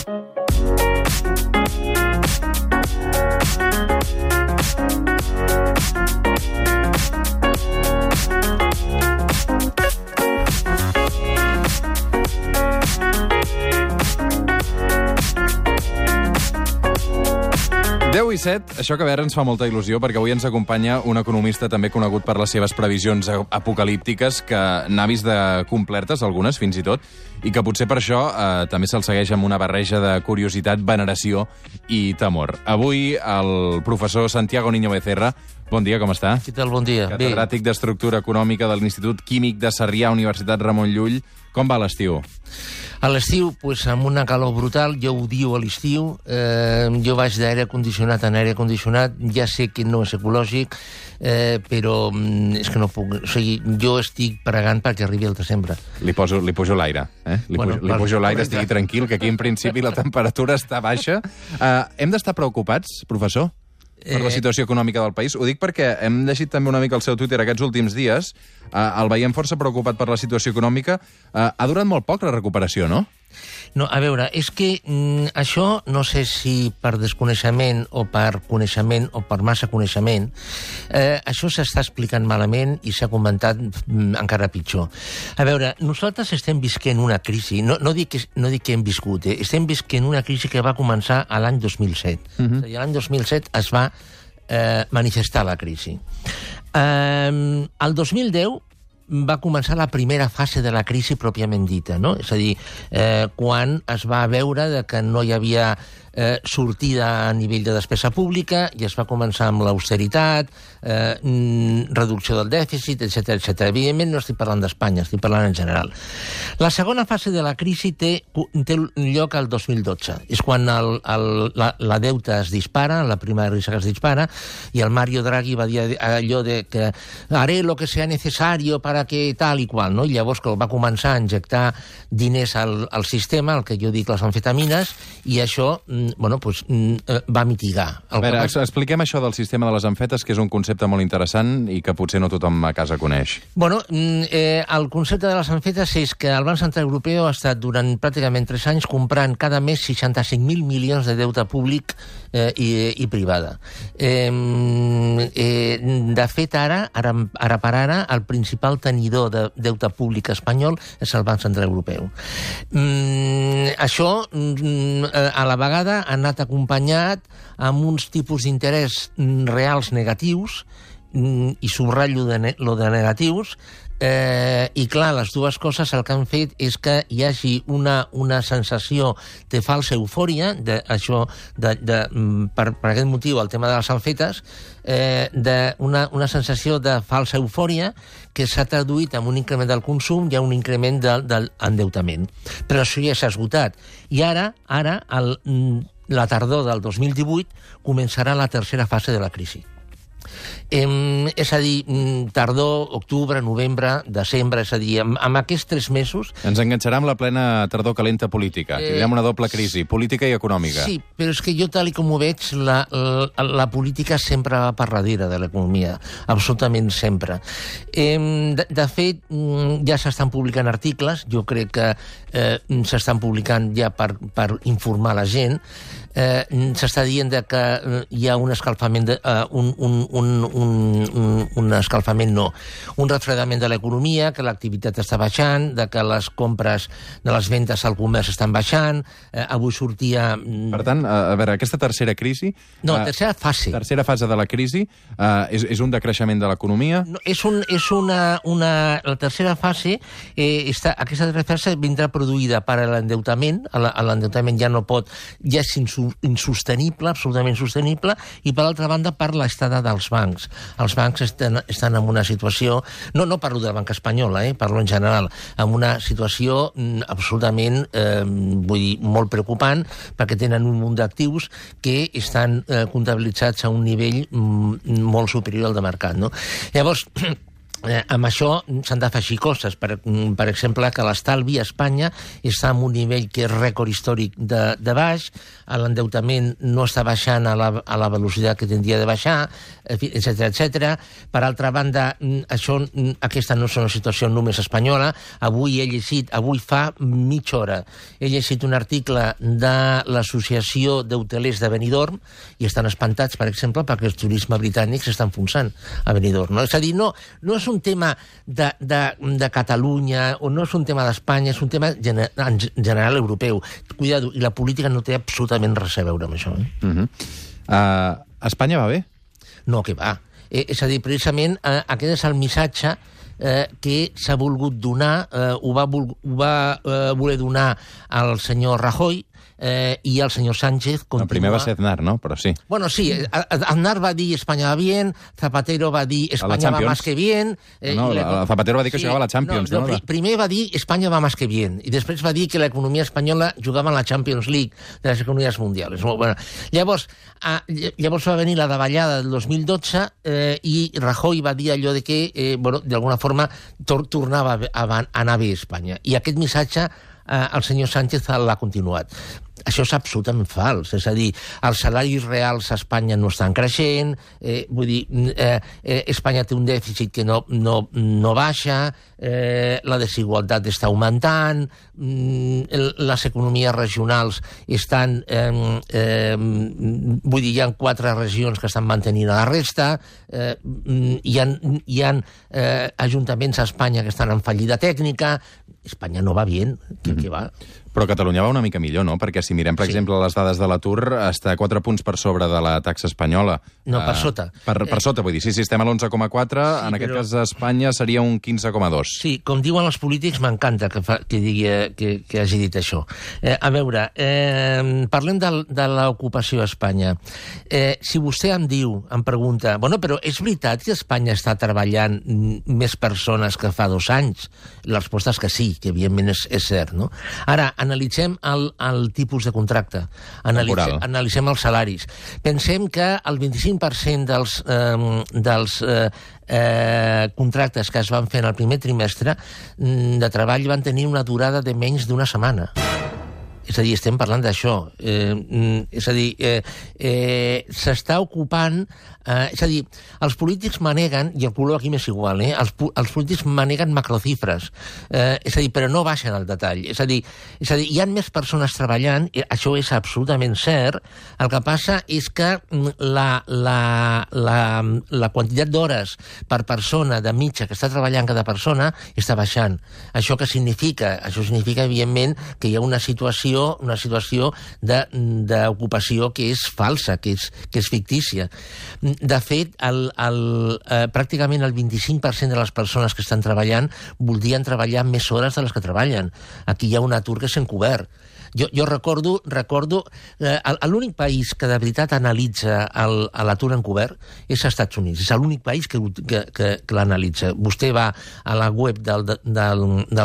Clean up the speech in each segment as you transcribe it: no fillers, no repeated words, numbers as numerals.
I 7, això que a veure ens fa molta il·lusió perquè avui ens acompanya un economista també conegut per les seves previsions apocalíptiques que n'ha vist de complertes, algunes fins i tot, i que potser per això també se'l segueix amb una barreja de curiositat, veneració i temor. Avui el professor Santiago Niño Becerra, bon dia, com està? Què tal, bon dia? Catedràtic d'Estructura Econòmica de l'Institut Químic de Sarrià, Universitat Ramon Llull. Com va l'estiu? A l'estiu, amb una calor brutal, jo odio a l'estiu, jo vaig d'aire condicionat en aire condicionat, ja sé que no és ecològic, però és que no puc... O sigui, jo estic pregant perquè arribi el desembre. Li pujo l'aire, eh? Li pujo l'aire, estigui tranquil, que aquí en principi la temperatura està baixa. Hem d'estar preocupats, professor, per la situació econòmica del país? Ho dic perquè hem llegit també una mica el seu Twitter aquests últims dies. El veiem força preocupat per la situació econòmica. Ha durat molt poc la recuperació, no? No, a veure, és que això, no sé si per desconeixement o per coneixement o per massa coneixement, això s'està explicant malament i s'ha comentat encara pitjor. A veure, nosaltres estem visquent una crisi, no dic que hem viscut, estem visquent una crisi que va començar a l'any 2007. I l'any 2007 es va manifestar la crisi. El 2010 va començar la primera fase de la crisi pròpiament dita, no? És a dir, quan es va veure que no hi havia sortida a nivell de despesa pública i es va començar amb l'austeritat, reducció del dèficit, etc. Evidentment no estic parlant d'Espanya, estic parlant en general. La segona fase de la crisi té lloc al 2012. És quan la deuta es dispara, la prima de risc es dispara, i el Mario Draghi va dir allò de que haré lo que sea necesario para que tal i qual, no? I llavors que va començar a injectar diners al sistema, el que jo dic les amfetamines, i això va mitigar. A veure, expliquem això del sistema de les amfetes, que és un concepte molt interessant i que potser no tothom a casa coneix. El concepte de les amfetes és que el Banc Central Europeu ha estat durant pràcticament 3 anys comprant cada mes 65.000 milions de deute públic i privada. De fet, ara per ara, el principal tenidor de deute públic espanyol és el Banc Central Europeu. Això, a la vegada, ha anat acompanyat amb uns tipus d'interès reals negatius, i subratllo lo de negatius, i clar, les dues coses el que han fet és que hi hagi una sensació de falsa eufòria, per aquest motiu el tema de les amfetes, una sensació de falsa eufòria que s'ha traduït en un increment del consum i en un increment de l'endeutament. Però això ja s'ha esgotat. I ara la tardor del 2018, començarà la tercera fase de la crisi. És a dir, tardor, octubre, novembre, desembre, és a dir, amb aquests 3 mesos... Ens enganxarà amb la plena tardor calenta política. Tindrem una doble crisi, política i econòmica. Sí, però és que jo, tal com ho veig, la política sempre va per darrere de l'economia, absolutament sempre. De fet, ja s'estan publicant articles, jo crec que s'estan publicant ja per informar la gent, s'està dient que hi ha un escalfament, un refredament de l'economia, que l'activitat està baixant, que les compres de les ventes al comerç estan baixant, avui sortia... Per tant, a veure, aquesta tercera crisi... No, tercera fase. Tercera fase de la crisi és un decreixement de l'economia? La tercera fase, aquesta tercera fase vindrà produïda per l'endeutament, l'endeutament ja no pot, ja és insostenible, absolutament insostenible, i per l'altra banda per l'estada dels bancs. Els bancs estan en una situació, no parlo del banc espanyol, parlo en general, en una situació absolutament, vull dir, molt preocupant, perquè tenen un munt d'actius que estan comptabilitzats a un nivell molt superior al de mercat, no? Llavors, amb això s'han d'afegir coses. Per exemple, que l'estalvi a Espanya està en un nivell que és rècord històric de baix, l'endeutament no està baixant a la velocitat que tindria de baixar, etc etc. Per altra banda, aquesta no és una situació només espanyola. Avui fa mitja hora, he llegit un article de l'Associació d'Hotelers de Benidorm i estan espantats, per exemple, perquè el turisme britànic s'està enfonsant a Benidorm. És a dir, no és un tema de Catalunya o no és un tema d'Espanya, és un tema en general europeu. Cuidado, i la política no té absolutament res a veure amb això. Espanya va bé? No, que va. És a dir, precisament, aquest és el missatge que s'ha volgut donar, ho va voler donar al senyor Rajoy, i el senyor Sánchez continua... Primer va ser Aznar, no? Però sí. Bueno, sí, Aznar va dir Espanya va bien, Zapatero va dir Espanya va más que bien... Zapatero va dir que jugava a la Champions, no? Primer va dir Espanya va más que bien, i després va dir que l'economia espanyola jugava en la Champions League de les economies mundials. Bueno, llavors va venir la davallada del 2012 i Rajoy va dir allò de que, d'alguna forma, tornava a anar bé a Espanya. I aquest missatge el senyor Sánchez l'ha continuat. Això és absolutament fals. És a dir, els salaris reals a Espanya no estan creixent, Espanya té un dèficit que no baixa, la desigualtat està augmentant, les economies regionals estan... hi ha 4 regions que estan mantenint a la resta, hi ha ajuntaments a Espanya que estan en fallida tècnica. Espanya no va bé, què va? Però Catalunya va una mica millor, no? Perquè si mirem, per exemple, les dades de l'atur, està 4 punts per sobre de la taxa espanyola. No, per sota. Per sota, vull dir. Sí, estem a l'11,4, en aquest cas a Espanya seria un 15,2. Sí, com diuen els polítics, m'encanta que hagi dit això. A veure, parlem de l'ocupació a Espanya. Si vostè em pregunta, però és veritat que a Espanya està treballant més persones que fa 2 anys? La resposta és que sí, que evidentment és cert, no? Ara, analitzem el tipus de contracte, analitzem els salaris. Pensem que el 25% dels contractes que es van fer en el primer trimestre de treball van tenir una durada de menys d'1 setmana. És a dir, estem parlant d'això. És a dir, s'està ocupant... És a dir, els polítics maneguen, i el color aquí m'és igual, els polítics maneguen macrocifres. És a dir, però no baixen al detall. És a dir, hi ha més persones treballant, això és absolutament cert. El que passa és que la quantitat d'hores per persona de mitja que està treballant cada persona està baixant. Això què significa? Això significa, evidentment, que hi ha una situació d'ocupació que és falsa, que és fictícia. De fet, pràcticament el 25% de les persones que estan treballant voldrien treballar més hores de les que treballen. Aquí hi ha un atur que s'ha encobert. Jo recordo l'únic país que de veritat analitza l'atur encobert és als Estats Units. És l'únic país que l'analitza. Vostè va a la web del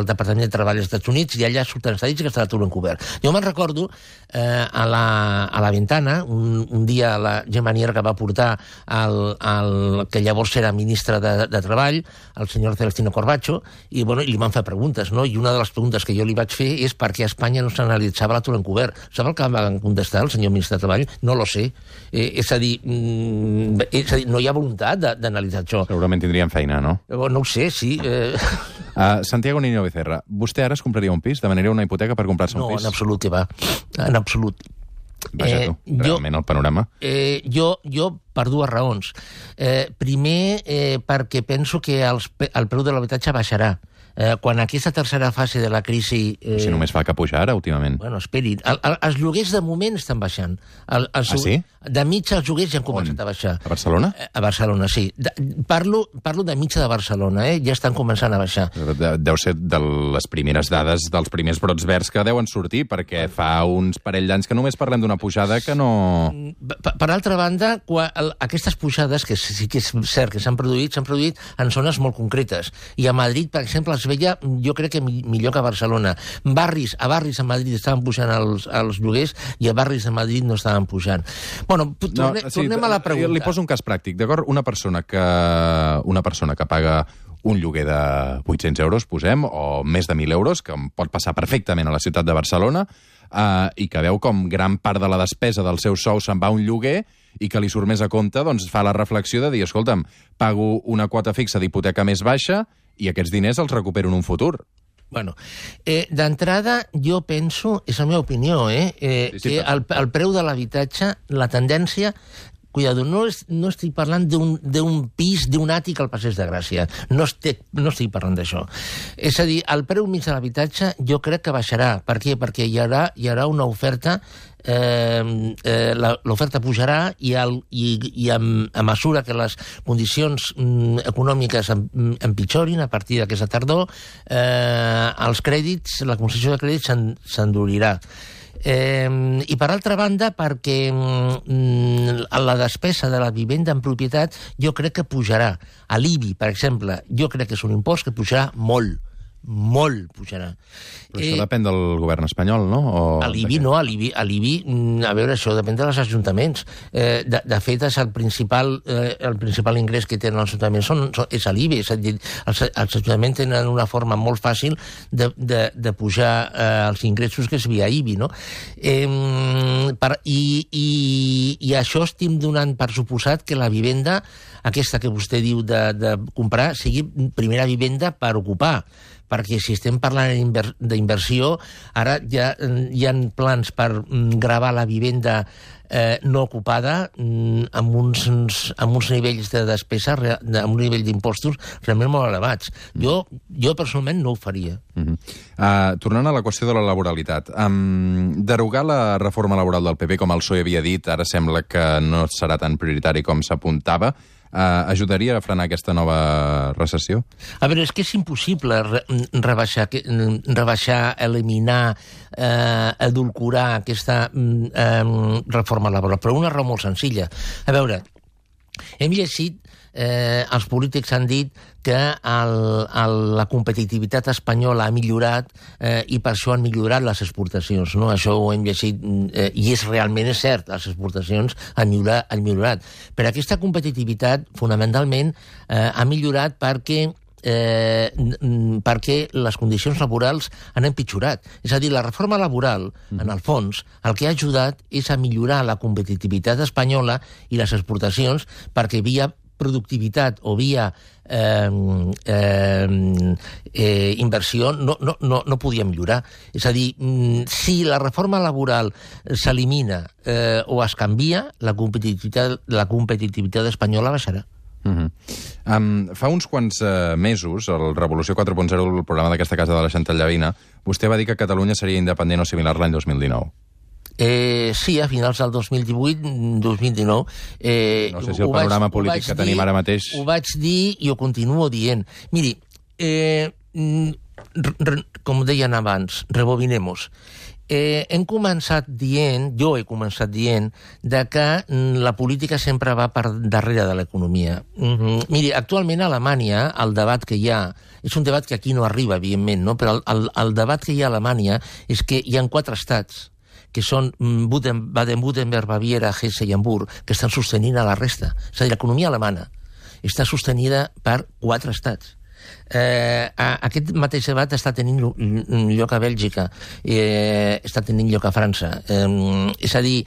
Departament de Treball dels Estats Units i allà surten estadístiques de l'atur encobert. Jo me'n recordo a la Ventana, un dia la Gemma Nierga va portar el que llavors era ministre de Treball, el senyor Celestino Corbacho, i li van fer preguntes, no? I una de les preguntes que jo li vaig fer és per què a Espanya no s'analitza l'atur encobert. Sap el que va contestar el senyor ministre de Treball? No lo sé. És a dir, no hi ha voluntat d'analitzar això. Segurament tindrien feina, no? No ho sé, sí. Santiago Niño Becerra, vostè ara es compraria un pis? Demanaria una hipoteca per comprar-se un pis? No, en absolut que va. En absolut. Vaja tu, realment el panorama. Jo per 2 raons. Primer, perquè penso que el preu de l'habitatge baixarà. Quan aquesta tercera fase de la crisi... Si només fa que pujar ara, últimament. Bueno, esperi. Els lloguers de moment estan baixant. Sí? De mitja els lloguers ja han començat a baixar. A Barcelona? A Barcelona, sí. Parlo de mitja de Barcelona, ja estan començant a baixar. Deu ser de les primeres dades dels primers brots verds que deuen sortir, perquè fa uns parell d'anys que només parlem d'una pujada que no... Per altra banda, aquestes pujades, que sí que és cert que s'han produït en zones molt concretes. I a Madrid, per exemple, es veia, jo crec que millor que a Barcelona. A barris a Madrid estaven pujant els lloguers i a barris de Madrid no estaven pujant. Bueno, tornem a la pregunta. Li poso un cas pràctic, d'acord? Una persona que paga un lloguer de 800 euros, posem, o més de 1.000 euros, que pot passar perfectament a la ciutat de Barcelona, i que veu com gran part de la despesa del seu sou se'n va a un lloguer i que li surt més a compte, doncs fa la reflexió de dir, escolta'm, pago una quota fixa d'hipoteca més baixa i aquests diners els recupero en un futur. Bueno, d'entrada, jo penso, és la meva opinió, que el preu de l'habitatge, la tendència... Cuidado, no estic parlant d'un pis, d'un àtic al Passeig de Gràcia. No estic parlant d'això. És a dir, el preu mig de l'habitatge jo crec que baixarà. Per què? Perquè hi haurà una oferta, l'oferta pujarà i a mesura que les condicions econòmiques empitjorin a partir d'aquesta tardor, els crèdits, la concessió de crèdits s'endurirà. I per altra banda, perquè la despesa de la vivenda en propietat jo crec que pujarà. A l'IBI, per exemple, jo crec que és un impost que pujarà molt pujarà. Però això depèn del govern espanyol, no? A l'IBI no, a l'IBI, a veure, això depèn dels ajuntaments. De fet, és el principal ingrés que tenen els ajuntaments és a l'IBI, és a dir, els ajuntaments tenen una forma molt fàcil de pujar els ingressos que és via IBI, no? I això estem donant per suposat que la vivenda, aquesta que vostè diu de comprar, sigui primera vivenda per ocupar, perquè si estem parlant d'inversió, ara ja hi ha plans per gravar la vivenda no ocupada amb uns nivells de despesa, amb un nivell d'impostos realment molt elevats. Jo personalment no ho faria. Tornant a la qüestió de la laboralitat, derogar la reforma laboral del PP, com el PSOE havia dit, ara sembla que no serà tan prioritari com s'apuntava, ajudaria a frenar aquesta nova recessió? A veure, és que és impossible rebaixar, eliminar, edulcorar aquesta reforma laboral, però una raó molt senzilla. A veure, hem llegit, els polítics han dit que la competitivitat espanyola ha millorat i per això han millorat les exportacions. No? Això ho hem llegit i realment és cert, les exportacions han millorat. Però aquesta competitivitat fonamentalment ha millorat perquè les condicions laborals han empitjorat. És a dir, la reforma laboral, en el fons, el que ha ajudat és a millorar la competitivitat espanyola i les exportacions perquè via productivitat o via inversió no podia millorar. És a dir, si la reforma laboral s'elimina o es canvia, la competitivitat espanyola baixarà. Fa uns quants mesos, el Revolució 4.0, el programa d'aquesta casa de la Chantal Llavina, vostè va dir que Catalunya seria independent o similar l'any 2019. Sí, a finals del 2018-2019. No sé si el panorama polític que tenim ara mateix... Ho vaig dir i ho continuo dient. Miri, com deien abans, rebobinemos. Hem començat dient, jo he començat dient, que la política sempre va per darrere de l'economia. Miri, actualment a Alemanya el debat que hi ha, és un debat que aquí no arriba, evidentment, no? Però el debat que hi ha a Alemanya és que hi ha 4 estats que són Baden-Württemberg, Baviera, Hesse i Hamburg, que estan sostenint a la resta. És a dir, l'economia alemana està sostenida per 4 estats. Aquest mateix debat està tenint lloc a Bèlgica, està tenint lloc a França. És a dir,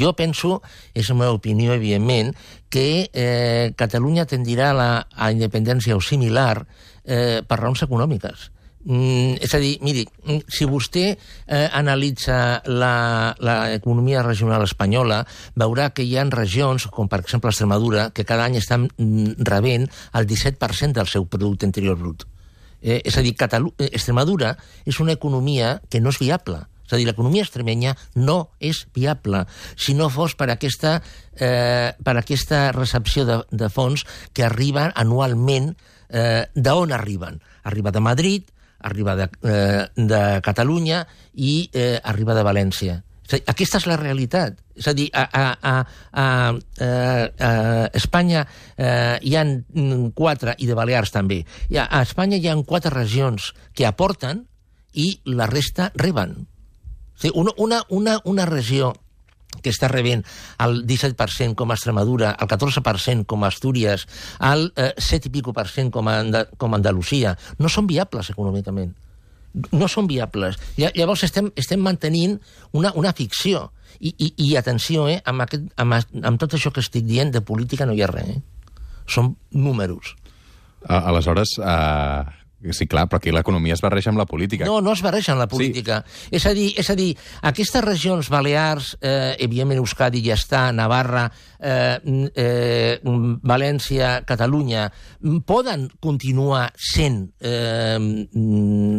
jo penso, és la meva opinió, evidentment, que Catalunya tendirà a la independència o similar per raons econòmiques. És a dir, miri, si vostè analitza l'economia regional espanyola, veurà que hi ha regions, com per exemple Extremadura, que cada any estan rebent el 17% del seu producte interior brut. És a dir, Extremadura és una economia que no és viable. És a dir, l'economia extremenya no és viable si no fos per aquesta recepció de fons que arriben anualment. D'on arriben? Arriba de Madrid, arriba de Catalunya i arriba de València. Aquesta és la realitat. És a dir, a Espanya hi ha 4, i de Balears també, a Espanya hi ha 4 regions que aporten i la resta reben. Una regió que està rebent el 17% com a Extremadura, el 14% com a Astúries, el 7 i pico per cent com a Andalusia, no són viables econòmicament. No són viables. Llavors estem mantenint una ficció. I atenció, amb tot això que estic dient, de política no hi ha res. Són números. Aleshores, sí, clar, però aquí l'economia es barreja amb la política. No es barreja amb la política. Sí. És a dir, aquestes regions Balears, evidentment Euskadi ja està, Navarra, València, Catalunya, poden continuar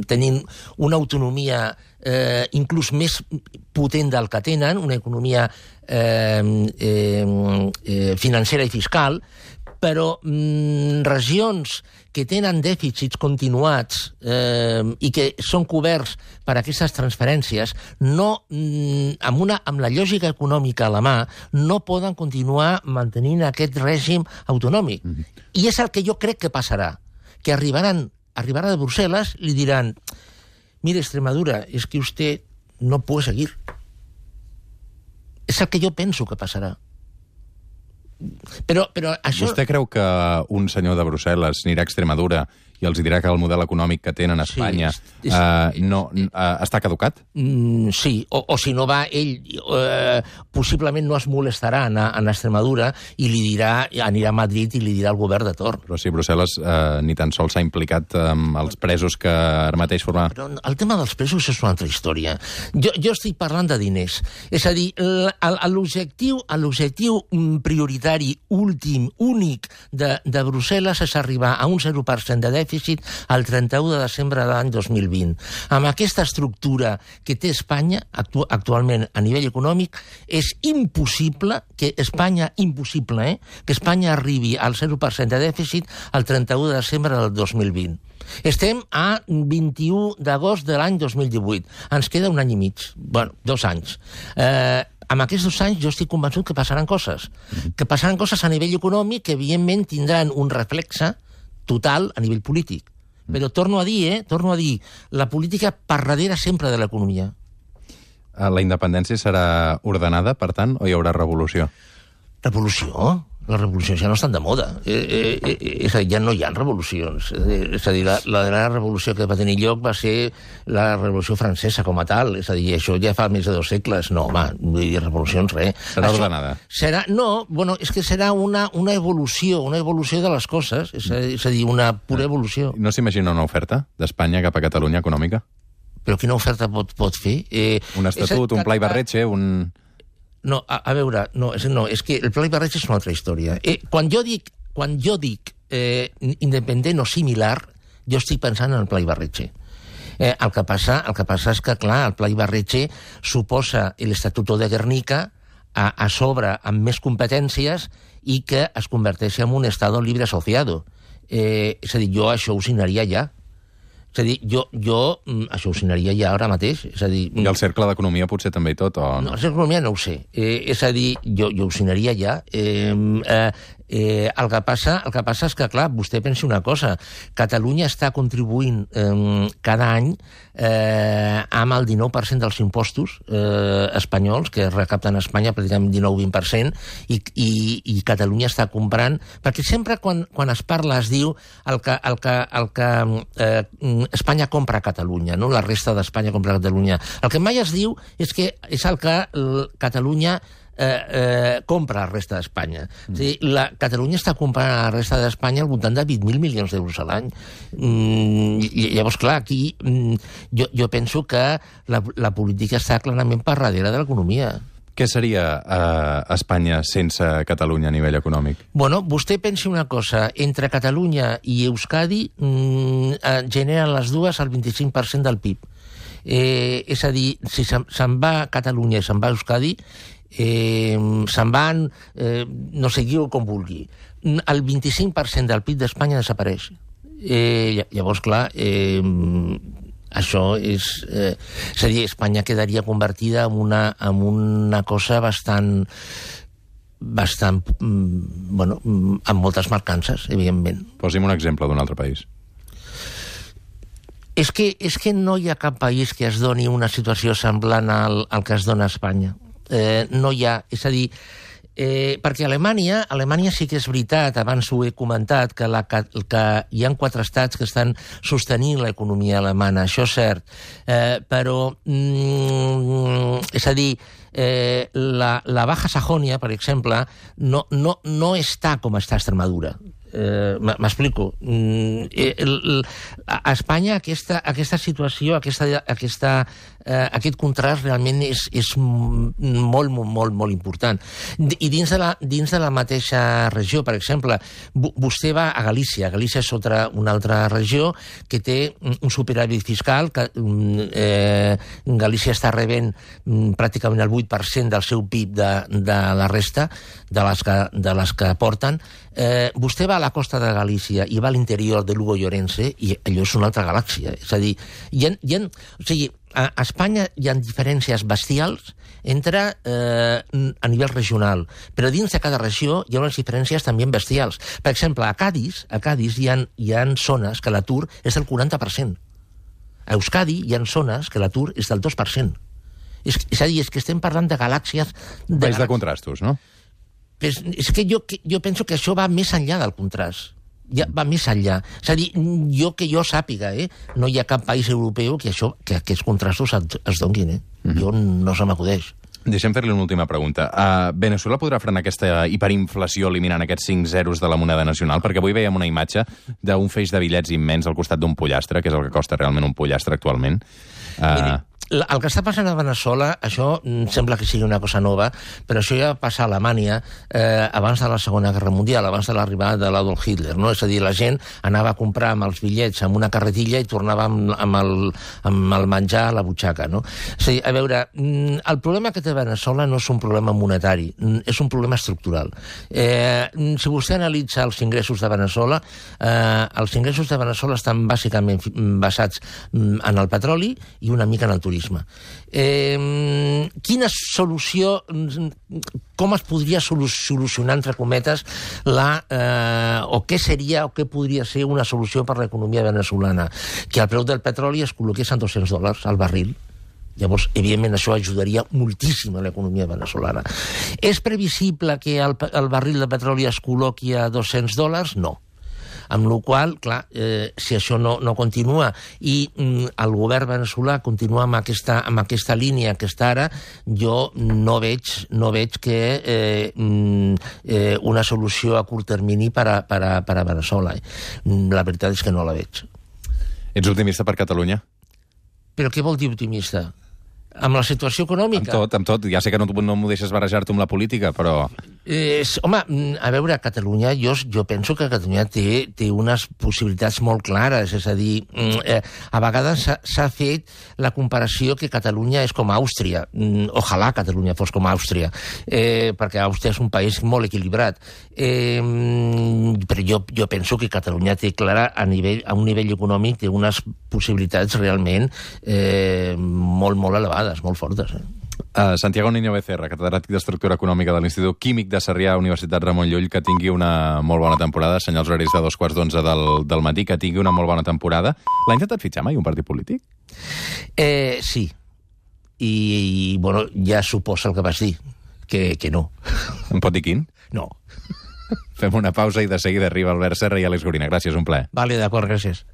tenint una autonomia inclús més potent del que tenen, una economia financera i fiscal, però regions que tenen dèficits continuats i que són coberts per aquestes transferències, amb la lògica econòmica a la mà, no poden continuar mantenint aquest règim autonòmic. I és el que jo crec que passarà, que arribarà de Brussel·les i li diran: mire, Extremadura, es que usted no puede seguir. És el que jo penso que passarà. Però això... Vostè creu que un senyor de Brussel·les anirà a Extremadura i els dirà que el model econòmic que tenen a Espanya està caducat? Sí, o si no va, ell possiblement no es molestarà a Extremadura i li dirà, anirà a Madrid i li dirà al govern de torn. Però si Brussel·les ni tan sols s'ha implicat amb els presos que ara mateix formaven... Però el tema dels presos és una altra història. Jo estic parlant de diners. És a dir, l'objectiu prioritari, últim, únic de Brussel·les és arribar a un 0% de dèficit el 31 de desembre de l'any 2020. Amb aquesta estructura que té Espanya actualment a nivell econòmic, és impossible que Espanya arribi al 0% de dèficit el 31 de desembre del 2020. Estem a 21 d'agost de l'any 2018. Ens queda un any i mig. Bueno, 2 anys. Amb aquests 2 anys jo estic convençut que passaran coses. Que passaran coses a nivell econòmic que evidentment tindran un reflexe total a nivell polític. Però torno a dir, la política per darrere sempre de l'economia. La independència serà ordenada, per tant, o hi haurà revolució? Revolució? Les revolucions ja no estan de moda. És a dir, ja no hi ha revolucions. És a dir, la darrera revolució que va tenir lloc va ser la revolució francesa com a tal. És a dir, això ja fa més de 2 segles. No, home, vull dir, revolucions, res. Serà ordenada? És que serà una evolució de les coses. És a dir, una pura evolució. No s'imagina una oferta d'Espanya cap a Catalunya econòmica? Però quina oferta pot fer? Un estatut, un pla Ibarretxe, un... No, a veure, és que el pla Ibarretxe és una altra història. Quan jo dic independent o similar, jo estic pensant en el pla Ibarretxe. El que passa és que, clar, el pla Ibarretxe suposa l'Estatuto de Guernica a sobre amb més competències i que es converteix en un Estado libre asociado. És a dir, jo això ho signaria ja. És a dir, jo això ho signaria ja ara mateix. És a dir, i el cercle d'economia potser també i tot, o no? No, el cercle d'economia no ho sé. És a dir, jo ho signaria ja. El que passa és que, clar, vostè pensi una cosa. Catalunya està contribuint cada any amb el 19% dels impostos espanyols, que recapten a Espanya pràcticament 19-20%, i Catalunya està comprant... Perquè sempre quan es parla es diu el que Espanya compra a Catalunya, no? La resta d'Espanya compra a Catalunya. El que mai es diu és que és el que Catalunya compra a la resta d'Espanya. O sigui, Catalunya està comprant a la resta d'Espanya al voltant de 20.000 milions d'euros a l'any. Llavors, clar, aquí jo penso que la política està clarament per darrere de l'economia. Què seria Espanya sense Catalunya a nivell econòmic? Bueno, vostè pensi una cosa. Entre Catalunya i Euskadi generen les dues el 25% del PIB. És a dir, si se'n va a Catalunya i se'n va a Euskadi, se'n van, no sé com vulgui. El 25% del PIB d'Espanya desapareix. Llavors, clar... Això és a dir, Espanya quedaria convertida en una cosa bastant, bueno, amb moltes mancances, evidentment. Posi'm un exemple d'un altre país. És que no hi ha cap país que es doni una situació semblant al que es dona a Espanya. No hi ha... És a dir, perquè Alemanya sí que és veritat, abans ho he comentat, que hi ha 4 estats que estan sostenint l'economia alemana, això és cert, però, és a dir, la Baja Sajònia, per exemple, no està com està Extremadura. M'explico. A Espanya aquesta situació, aquest contrast realment és molt, molt, molt important. I dins de la mateixa regió, per exemple, vostè va a Galícia. Galícia és una altra regió que té un superàvit fiscal, que Galícia està rebent pràcticament el 8% del seu PIB de la resta, de les que aporten. Vostè va a la costa de Galícia i va a l'interior de Lugo i Orense i allò és una altra galàxia. És a dir, a Espanya hi ha diferències bestials a nivell regional, però dins de cada regió hi ha unes diferències també bestials. Per exemple, a Cádiz hi ha zones que l'atur és del 40%. A Euskadi hi ha zones que l'atur és del 2%. És a dir, és que estem parlant de galàxies... País de contrastos, no? És que jo penso que això va més enllà del contrast. Ja va més enllà. És a dir, que jo sàpiga, no hi ha cap país europeu que aquests contrastos es donguin. Jo no se m'acudeix. Deixem fer-li una última pregunta. Veneçuela podrà frenar aquesta hiperinflació eliminant aquests 5 zeros de la moneda nacional? Perquè avui veiem una imatge d'un feix de bitllets immens al costat d'un pollastre, que és el que costa realment un pollastre actualment. Miri, el que està passant a Veneçuela, això sembla que sigui una cosa nova, però això ja va passar a Alemanya abans de la Segona Guerra Mundial, abans de l'arribada de l'Adolf Hitler, no? És a dir, la gent anava a comprar amb els bitllets amb una carretilla i tornava amb el menjar a la butxaca, no? És a dir, a veure, el problema que té Veneçuela no és un problema monetari, és un problema estructural. Si vostè analitza els ingressos de Veneçuela, els ingressos de Veneçuela estan bàsicament basats en el petroli i una mica en el turisme. Quina solució, com es podria solucionar, entre cometes, o què seria o què podria ser una solució per l'economia veneçolana? Que el preu del petroli es col·loqués en $200 al barril. Llavors, evidentment, això ajudaria moltíssim a l'economia veneçolana. És previsible que el barril de petroli es col·loqui a $200? No. Amb la qual cosa, clar, si això no continua i el govern veneçolà continua amb aquesta línia que està ara, jo no veig que una solució a curt termini per a Veneçuela. La veritat és que no la veig. Ets optimista per Catalunya? Però què vol dir optimista? Amb la situació econòmica? Amb tot. Ja sé que no m'ho deixes barrejar-te amb la política, però... Home, a veure, Catalunya, jo penso que Catalunya té unes possibilitats molt clares, és a dir, a vegades s'ha fet la comparació que Catalunya és com Àustria. Ojalà Catalunya fos com Àustria, perquè Àustria és un país molt equilibrat. Però jo penso que Catalunya té clara, a un nivell econòmic, té unes possibilitats realment molt, molt elevades, molt fortes. Santiago Niño Becerra, catedràtic d'Estructura Econòmica de l'Institut Químic de Sarrià, Universitat Ramon Llull, que tingui una molt bona temporada. Senyals horaris de 11:15 del matí, que tingui una molt bona temporada. L'ha intentat fitxar mai un partit polític? Sí. I bueno, ja suposa el que vas dir, que no. Em pot dir quin? No. Fem una pausa i de seguida arriba Albert Serra i Àlex Gorina. Gràcies, un plaer. Vale, d'acord, gràcies.